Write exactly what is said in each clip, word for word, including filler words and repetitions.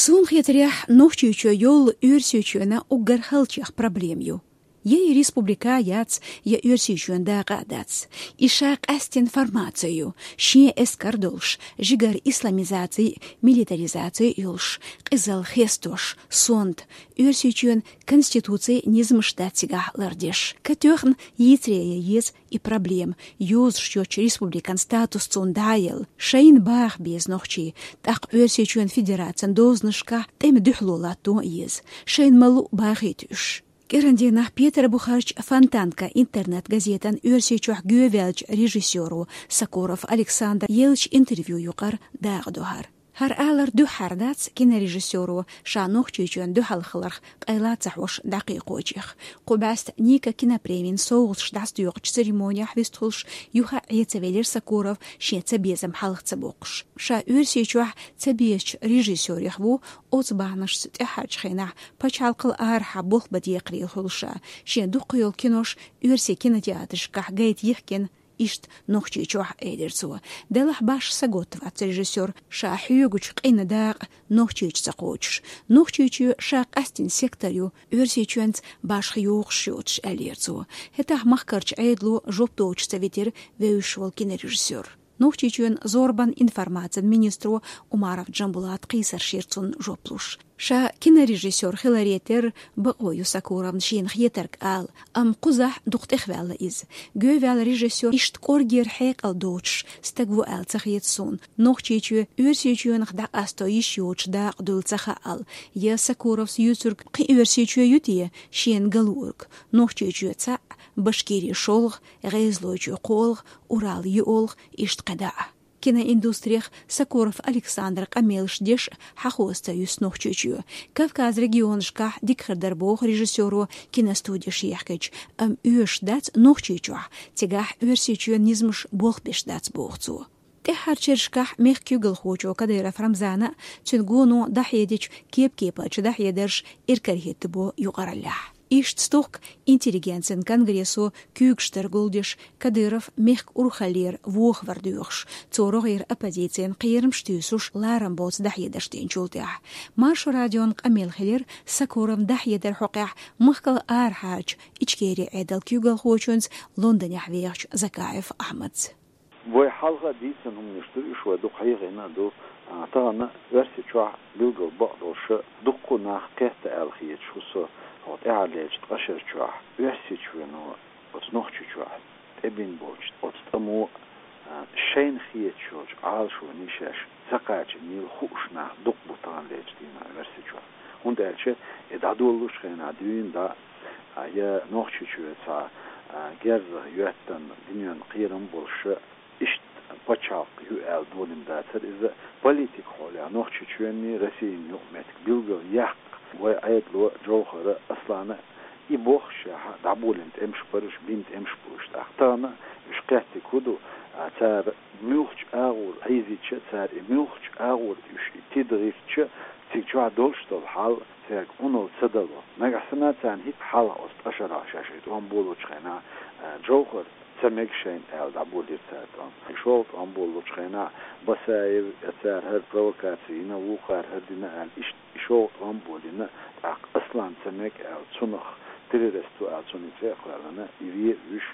Суна хетарехь, Нохчийчоь йолу Оьрсийчоьнан уггар халчех проблема ю. Я и республика яц, я Оьрсийчоьнан дакъа а дац. И ша къаьстина формация ю, шен эскар долуш, жигара исламизаци, милитаризаци йолуш, къизалла хестош, сонта, Оьрсийчоьнан конституци, низамаш дац цигахь лардеш. Катоьхна йийцаре ян еза и проблема, йозуш йоцчу республикан статус цунна дӀа а елла, шайна баха беза нохчий, тӀаккха Оьрсийчоьнан Федерацин дозанашкахь тӀеман дуьхьало латто а еза, шайна ма-луъу бахийта уьш. КӀиран дийнахь Петарбухарчу «Фонтанка» интернет-газетан Оьрсийчохь гоьваьллачу режиссёро Сокуров Александра еллачу интервью юкъара дакъа до хӀара. ХӀара алар дуьххьара дац кинорежиссёро ша Нохчийчоьнан дуьхьал хиларх къайла ца хьош дӀакхайкхочех. Кху бӀаьста Ника кинопремин совгӀаташ дӀасадоькъучу церемонехь вистхуьлуш юха а Ӏеца велира Сокуров, шен цабезам хьалха ца боккхуш. Ша Оьрсийчохь цабезачу режиссёрех ву, оцу бахьанашца тӀаьххьарчу хенахь пачхьалкхал арахьа болх бан декхарийлахь хуьлуш, шен дуккха йолу кинош оьрсийн кинотеатрашкахь гайта йихкина, иштта Нохчийчохь, элира цо. Делахь башха саготта вац режиссёр, ша хьоьгучу къинан дакъа Нохчийчу ца кхочуш. Нохчийчоь ша къаьстина сектор ю, Оьрсийчоьнца башха йогӀуш йоцуш, аьллера цо. ХӀетахь махкарчу Ӏедало жоп доцуш ца витира вевзаш волу кинорежиссёр. Нохчийчоьнан зорбанан информацин министро Умаров Джамбулата кхийсарш йира цунна жоп луш. Ша кинорежиссёр хиларе терра бакъо ю Сокуровна шена хетарг ала, амма кхузахь дукха тӀехваьлла иза. Гоьваьлла режиссёр иштта кӀоргера хьекъал доцуш стаг ву аьлла ца хета суна. Нохчийчоь Оьрсийчоьнах дӀакъасто йиш йоцуш дакъа дуйла ца хаьа ала. Я Сокуровс юьйцург кхин Оьрсийчоь ю те шена галориг? Нохчийчоь цхьаъ, Башкири шолгӀа, ГӀезалойчоь кхоалгӀа, Урал йоьалгӀа, иштта кхидӀа а. Киноиндустрих Сокуров Александра къамелаш деш а хьахоса ца юьсу Нохчийчоь. Кавказ регионашкахь дика хир дара боху режиссёро киностудеш ехкича, амма оьшуш дац Нохчийчохь, цигахь Оьрсийчоьнан низамаш болх беш дац, боху цо. ТӀаьххьарчу шерашкахь мехкан куьйгалхочо Кадыров Рамзана а, цуьнан гоно дӀахьедича кеп-кепарчу дӀахьедарша иракарахӀитта бо юкъараллехь. Иштта стохка интеллигенцин конгрессо куьйгаш тара гулдеш, Кадыров мехкан урхаллера вохавар доьхуш, цо рогӀера оппозицин кхерамаш туьйсуш, ларам боцу дӀахьедарш динчул тӀаьхьа. Маршо радион къамел хилира Сокуровн дӀахьедар хьокъехь махкал арахьарчу Ичкерин Ӏедалан куьйгалхочуьнца, Лондонехь вехачу Закаев Ахьмадца. Вай хьалха а дийцина хӀуманаш ду, уьш вай дукха хьехийна а ду. А, тахана Оьрсийчохь билггал бакъдолуш дуккха а нах кхетта аьлла хеташ ву со, хӀокху тӀаьххьарлерчу ткъа шара чохь Оьрсийчоьно оцу Нохчийчохь тӀебина болчу оцу тӀамо, а, шайна хеташ йолчу Ӏалашоне шаьш ца кхачийнийла хууш нах дукха бу таханлерчу дийнахь Оьрсийчохь. ХӀунда аьлча и дӀадолалучу хенахь дуьйна дӀа, а, я Нохчийчоь цхьа, а, герзах йоьттина, дуьненан кхерам болуш, иштта пачхьалкх ю аьлла долийна дацара иза. Политикан хьолехь Нохчийчоьнний, Российний юкъаметтиг билггал яккха вай Ӏедало, Джовхара, Аслана, и боххушехь дӀаболийна тӀемаш бара уьш, бина тӀемаш бу уьш. ТӀаккха тахана уьш кхеттиг хӀун ду, а, цара муьлххачу агӀор Ӏийзича, цара и муьлххачу агӀор уьш и тида гӀиртича, цига чохь долуш долу хьал цаьрга Ӏуналла ца дало. Нагахь санна царна хӀинца хьалха оцу ткъа шарахь шаьш и тӀом болучу хенахь, а, Джовхар ца мега шайна аьлла дӀаболийра цара тӀом. И шолгӀа тӀом болучу хенахь Басаев, я цара хӀара провокаци йина, вукхара хӀара дина аьлла, иштта и шолгӀа тӀом болийна, тӀаккха Аслан ца мега аьлла, цунах террорист ву аьлла, цунна и цӀе а кхоьллина, и ве а вуьйш,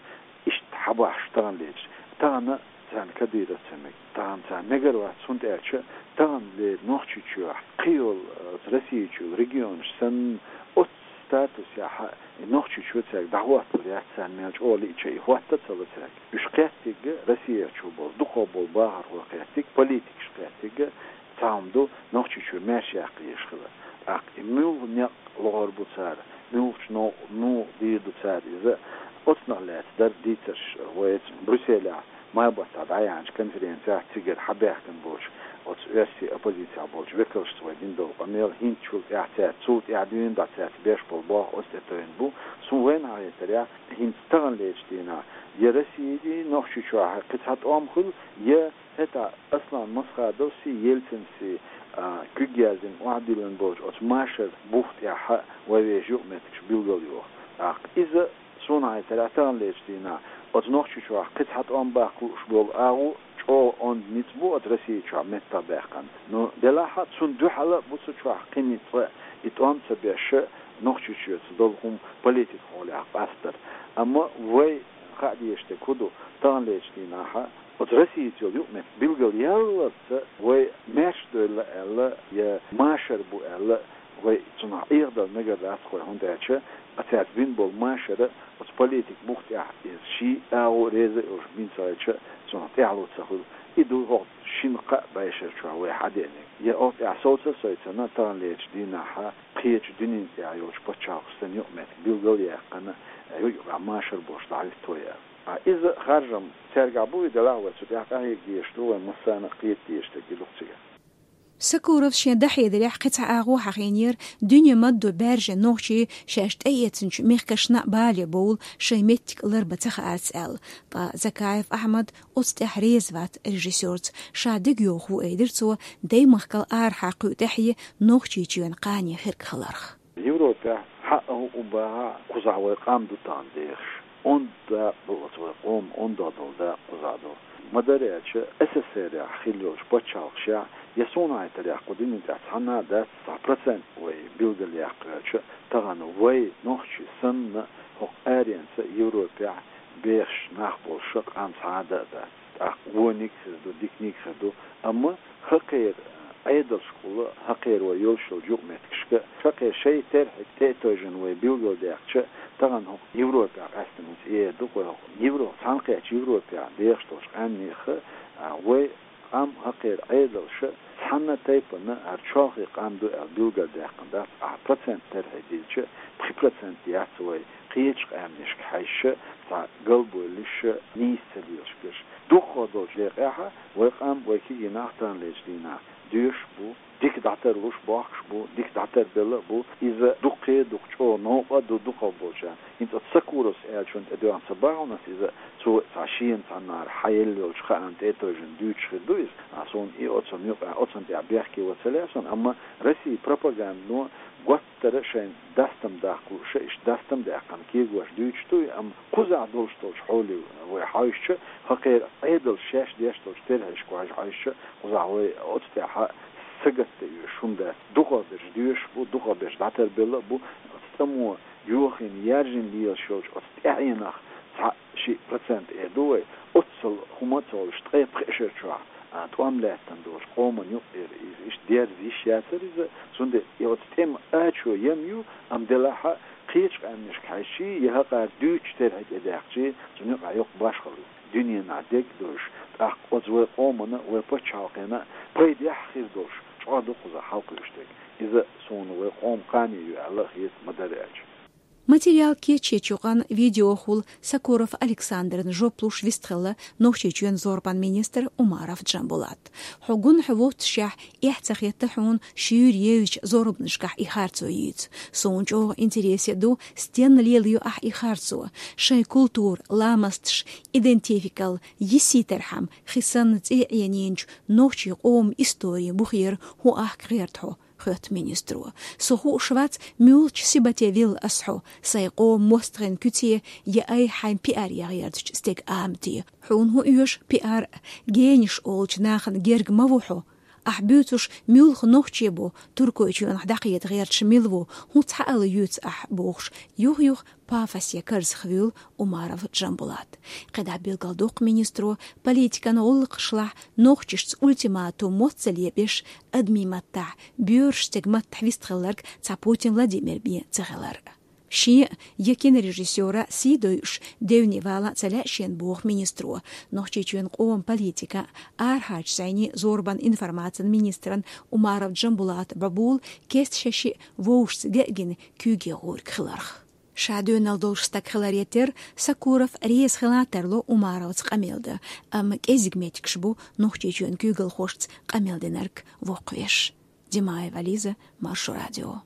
иштта хьабахьаш таханлерчу. Тахана царна Кадыров ца мега. Тахана царна мегар вац, хӀунда аьлча таханлера Нохчийчохь кхин йолу, оцу Российчу регионаш санна, оцу статусехь и Нохчийчоь цаьрга дӀахӀотталур яц царна мел чӀогӀа лиъча, и хӀотта а ца ло цаьрга. Уьш кхеттиг Россия чу болу, дукхах болу бахархой кхеттиг, политикаш кхеттиг, цхьа хӀума ду, Нохчийчоь маьрша яккха езаш хилар. ТӀаккха и муьлха некъ лохур бу цара, муьлхачу новкъа муха дийр ду цара иза, оцунах лаьцна дара дийцарш вайца Брюсселехь май баттахь дӀаяьхьначу конференцехь, цигара хьабаьхкина болчу оцу оьрсийн оппозицехь болчу векалшца вай дина долу къамел, хӀинцачул тӀаьхьа цаьрца, цул тӀаьхьа дуьйна дӀа цаьрца беш болу болх оцу тӀе тевжина бу. Суна вайна хьахетарехь, хӀинца таханлерчу дийнахь я Российчохь, кхин цхьа тӀом хуьлу, я хӀетахь Аслан Масхадовси, Ельцинси, а, куьг яздина, охьадиллина болчу оцу машар бух тӀехь вай вешан юкъаметтигаш билгалйоху. ТӀаккха иза, суна хьахетарехь, таханлерчу дийнахь оцу Нохчийчохь кхин цхьа тӀом баккха лууш болу агӀо ЧӀогӀа онда ницкъ бу оцу Россия чохь меттахбаьккхина. Ну, делахь а цунна дуьхьал а бу цу чохь кхин ницкъ, и тӀом ца беш, Нохчийчоьца долу хӀума политика хьолехь къастар. Амма вай хаа дезаш дерг хӀун ду, таханлерчу дийнахь оцу Россица йолу юкъаметтиг билгалъяллалц вай маьрша девлла аьлла, я машар бу аьлла, вай цунах Ӏехадала мегар дац вай, хӀунда аьлча а цаьрца бина болу машар оцу политикан бух тӀехь иза ший агӀо реза а йолуш бина ца хилча, цунах тӀаьхьало ца хуьлу. И ду хӀокху шина-кхаа бӀешар чохь вай хьадеанарг. Я оцу тӀехь совца а совцина, таханлерчу дийнахь кхечу дуьненна тӀехь йолчу пачхьалкхашна юкъаметтиг билгалъяьккхина, юкъахь машар болуш дӀахӀуьтту вай аьлла. Ткъа иза харжам цаьргахь бу, и делахь вай цу тӀехь къахьега дезаш ду, вай массарна а кхета дезаш дерг и ду-кх цигахь. Сакуров шен дӀахьедарехь кхин цхьа агӀо хьахийнера, дуьне ма-дду баьржина нохчий шаьш тӀеэцначу мехкашна а бале бовла, шайн меттиг ларбан ца хаарца аьлла. Ткъа Закаев Ахьмад оцу тӀехь реза вац режиссёрца, ша дегайовхо ву, элира цо, даймахкал арахьа кхуьу тӀаьхье Нохчийчоьнан кхане хирг хиларх. Европехь хьаъа хӀуъу бахахь а, кхузахь вай къам ду тахана дехаш. Онда дакъа ду оцу вай къоман, ондах долу дакъа кхузахь ду. Ма-дарра аьлча, С С С Р-ехь хилла йолчу пачхьалкхашехь, я суна хетарехь, кху дуьнен тӀехь цхьанна а дац, цхьа процент вай билгалъяккха аьлча, тахана вай нохчий санна, хӀокху аренца Европехь бехаш нах болуш а къам цхьа а дан а дац. ТӀаккха вониг а хир ду, диканиг а хир ду, амма хӀокхеран Ӏедалшкахула, хӀокхеран вай йолуш йолчу юкъаметтигашка, хӀокхеран шайн терхьега тӀе а тевжина вай билгалдаьккхича, тахана хӀокху Европехь къаьстина цӀера ду, вай хӀокху Европа, цхьаьнакхеттачу Европехь дехаш долчу къаьмнех а, вай къам, хӀокхеран Ӏедалша цхьана а тайпана хӀара чолхе къам ду аьлла билгалдаьккхина дац, ахьа процент терхье дилча, пхи процент яц вай кхечу къаьмнашка хьаьжча, цхьа галбевллаш, нийса ца лелаш берш. Дукхах долчу декъехь а вай къам, вай кегий нах таханлерчу дийнахь доьшуш бу, дика дӀатарлуш бохкуш бу, дика дӀатарбелла а бу. Иза дуккха а дукха чӀогӀа новкъа а ду дукхах болчарна. ХӀинца оцу Сакуровс аьллачунна тӀедоьгӀна ца бахьана ас иза, цо цхьа шена цхьаннахьара хьаелла йолчу хаана тӀе а тевжина дуьйцуш хир ду иза. А, суна и оцунна юкъахь, оцунна тӀехь бехке ван ца лаьа суна, амма Россин пропагандано гуттара а шайн дастам даккха лууш а, иштта дастам даьккхина кегош дуьйцуш ду и, амма кхузахь долуш долчу хьоле вай хьаьжча, хӀокхеран Ӏедалша шаьш деш долчу терхьешка вай хьаьжча, кхузахь вай оцу тӀехь сагатдан оьшуш хӀума дац. Дукхах берш доьшуш бу, дукхах берш дӀатарбелла а бу, оцу цӀамо йохийна, яьржина лелаш йолчу оцу тӀаьхьенах цхьа шиъ процент эр ду вай, оццул хӀума а ца хуьлуш, ткъе пхи шарахь чохь, а, тӀом лаьттина долчу къоман юкъера иза иштта дерза йиш яцара иза, цундела и оцу тӀеман ачо ям ю, амма делахь а кхечу къаьмнашка хьаьжчий, я хӀокхара дуьйцучу терхье тӀедаьккхичий, цунна юкъахь йоккха башхалла ю. Дуьненахь дегдойш, тӀаккха оцу вай къомана а, вай пачхьалкхена а пайдехь хир долуш, чӀогӀа ду кхузахь хьалакхуьуш дерг. Иза суна вай къоман кхане ю аьлла а хета, ма-дарра аьлча. Материал кечъечу юкъана видеохула Сакуров Александрна жоп луш вистхилла Нохчийчоьнан зорбанан министр Умаров Джамбулат. Хьо гунахь воццушехь, эхь ца хетта хьуна шуьйра евзачу зорбанашкахь и харцо йийца. Суна чӀогӀа интересе ду, стенна лелайо ахь и харцо. Шайн культура, ламасташ, идентификал йисийтархьама, хи санна цӀий Ӏенийначу нохчийн къоман историн бухера хӀун ахка гӀерта хьо, хоьтту министро. Со хууш вац, муьлхачу сибате вилла ас хьо, сайн къоман мостагӀийн куьце я айхьа хьайн пиар ян гӀертачу стеган амате. Хьуна хӀун оьшу пиар? Генаш олучу нахана герга ма ву хьо. Ахь буьйцуш муьлха нохчи бу, Туркойчоьнах дӀакхета гӀерташ мила ву, хӀун цхьа ала юьйцу ахь бохуш, юх-юха пафосе карзахвуьйлу Умаров Джамбулат. КхидӀа билгалдоккху министро, политикан гӀуллакхашлахь нохчашца ультиматум мотт ца лепӀеш, адамийн маттахь, боьрша стеган маттахь вистхилларг цхьа Путин Владимир бен ца хилар. Шен я кинорежиссёра сий дойуш девне вала ца лаьа шена боху министро. Нохчийчоьнан къоман политикан, арахьарчу зӀенийн, зорбанан, информацин министран Умаров Джамбулата бӀобула кеста шаьшшиъ вовшашца геъгина куьйге гӀург хиларх. Ша доьналла долуш стаг хиларе терра, Сакуров реза хила тарло Умаровца къамел дан, амма кӀезиг меттигаш бу Нохчийчоьнан куьйгалхошца къамел динарг воккхавеш. Димаева Лиза, Маршо радио.